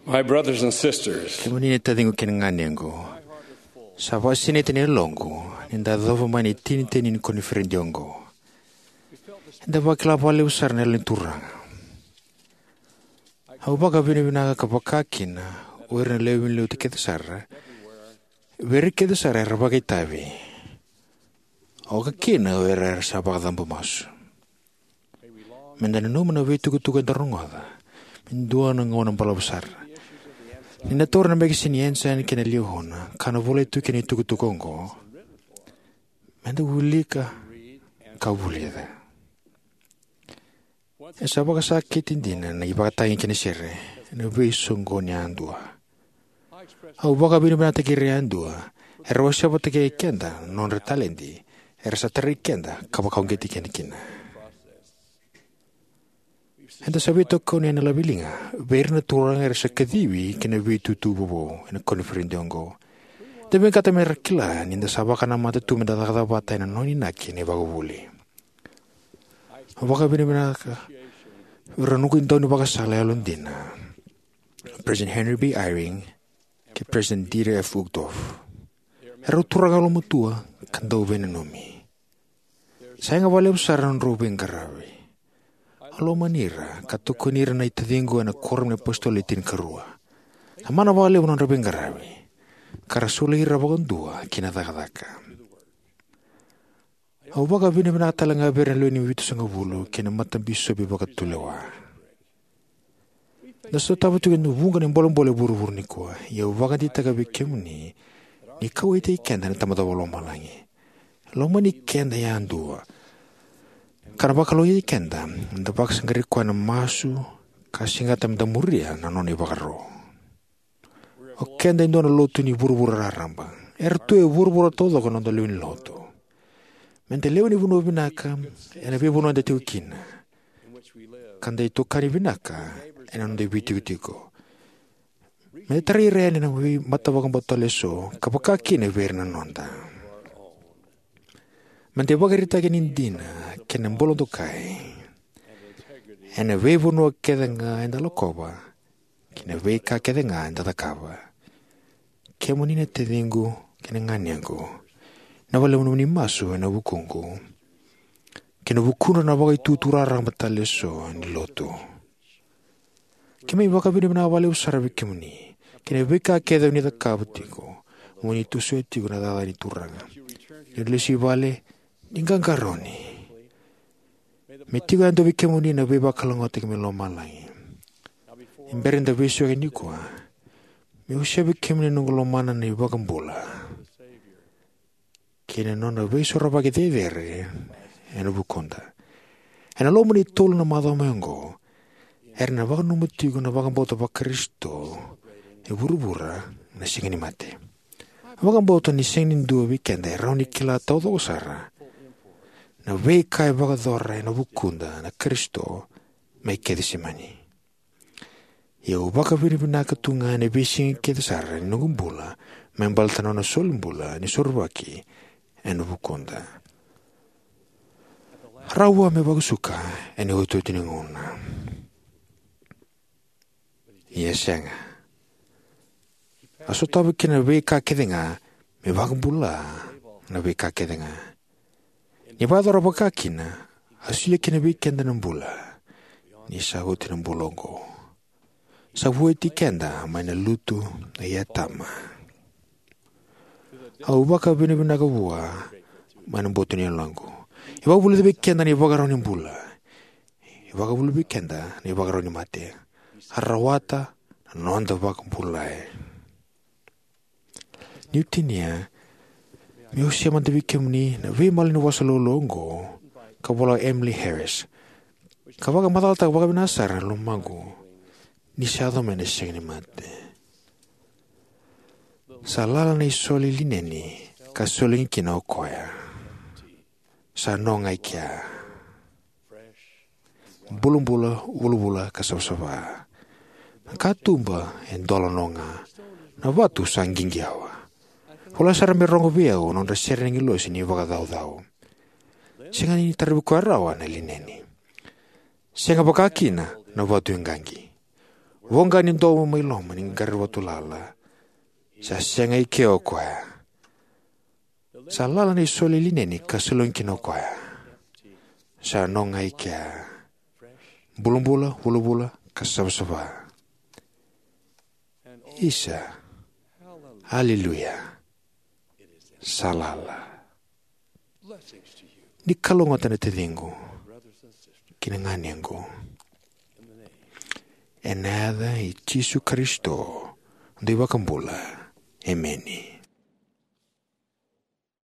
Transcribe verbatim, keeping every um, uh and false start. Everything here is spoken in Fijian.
My brothers and sisters, kemuni na taciqu kei na ganequ, sa vakasinaiti na yaloqu ni da yacova mai na itinitini ni koniferedi oqo. Eda vakila vakalevu sara na Yalo ni Turaga. Au vakavinavinaka ka vaka kina o ira na lewe ni lotu kece sara, vei ira kece sara era vakaitavi, oka kina o ira era sa vakacabo masu. Meda nanuma na veitukutuku eda rogoca me dua na gauna balavu sara. Ni na taura na mekesini Ensign kei na Liahona ka na volai tu kina itukutuku oqo, meda wilika ka vulica. E sa vakasakiti dina na ivakatagi kei na sere ena veisoqoni yadua. Au vakavinavinakataki ira yadua era wasea vata kei keda na nodra taledi era sa tarai keda ka vakauqeti keda kina. Eda sa veitokoni ena laveliga vei ira na turaga era sa kacivi ki na veitutu vovou ena koniferedi oqo. Eda vinakata mera kila ni da sa vakanamata tu meda cakacaka vata ena nona inaki na ivakavuvuli. Au vakavinavinaka vei ira na noqu daunivakasala yalodina, President Henry B. Eyring kei President Dieter F. Uchtdorf. Erau turaga yalomatua ka dau veinanumi. Sa yaga vakalevu sara na nodrau veiqaravi. Au lomani ira ka tokoni ira na itaciqu ena Kuoramu ni iApositolo Le Tinikarua. Sa mana vakalevu na nodra veiqaravi ka ra soli ira vakadua ki na cakacaka. Au vakavinavinaka talega vei ira na lewe ni Vitusagavulu kei na matabisopi vakatulewa. Da sotava tiko e dua na vuqa na bolebole e vuravura nikua, ia au vakadeitaka vei kemuni ni kauwaitaki keda na Tamada Vakalomalagi. E lomani keda yadua ka na vakalougatataki keda meda vakasaqarai koya ena masu ka segata meda muria na nona ivakaro. O keda e dua na lotu ni vuravura raraba. Era tu e vuravura taucoko na noda lewe ni lotu. Meda lewe ni vanua vinaka ena veivanua eda tiko kina, ka da itokani vinaka ena noda veitikotiko. Meda tarai ira yani na veimatavakabauta tale eso ka vaka kina vei ira na noda. Meda ivakaraitaki ni dina kei na bula dokai ena veivanua kece ga eda lakova kei na veika kece ga eda cakava. Kemuni na taciqu kei na ganequ, na vakalevu nomuni masu ena vukuqu kei na vukudra na vakaitutu raraba tale eso ni lotu. Keimami vakavinavinaka vakalevu sara vei kemuni kei na veika kece oni cakava tiko mo ni tosoya tiko na cakacaka ni Turaga. Ni oni lesu i vale, ni qaqarauni. Me tiko yadua vei kemuni na veivakalougatataki mai lomalagi. Ni bera ni da veisiko nikua, meu wasea vei kemuni na noqu lomana na iVakabula kei na nona veisorovaki cecere ena vukuda. Ena loma ni tolu na macawa mai oqo, era na vakananuma tiko na vakabauta vaKarisito e vuravura na Siga ni Mate. Vakabauta ni sega ni dua vei keda e rawa ni kila taucoko sara na veika e vakayacora ena vukuda na Karisito mai Kecisemani. Ia au vakavinavinaka tu ga ena veisiga kece sara ni noqu bula me baleta na nona solibula ni sorovaki ena vukuda. Rawa me vakasuka ena iotioti ni gauna. Ia sega. A sotava kina na veika kece ga me vakabula na veika kece ga. Ni vakayacora vaka kina, a solia kina vei keda na bula ni sa oti na bula oqo. Sa vueti keda mai na lutu i Atama. Au vakavinavinaka vua mai na boto ni yaloqu. E vakavulica vei keda na ivakarau ni bula. E vakavulica vei keda na ivakarau ni mate. A rawata na noda vakabulai. Niu tinia, meu wasea mada vei kemuni na veimalanivosa laulau oqo ka vola o Emily Harris, ka vakamacalataka vakavinaka sara na lomaqu ni sa yaco mai na Siga ni Mate. Sa lala na isole lineni ka solegi kina o koya. Sa no ga i kea. Bulabula, vulavula ka savasava. Na katuba e dola no ga. Na vatu sa qiqi yawa. Vola sara me rogo vei au na nodra sere na agilosi ni vakacaucau. Sega ni taravi koya rawa na lineni. Sega vaka kina na vatu e qaqi. Voqa ni domo mai loma ni qaravi vatulala. Sa sega i kea o koya. Sa lala na isole lineni ka salogi kina o koya. Sa no ga i kea. Bulabula, vulavula, ka savasava. Isa. Aleluya. Sa lala. Ni kalougata na taciqu kei na ganequ. Ena yaca i Jisu Karisito, na iVakabula. Emeni.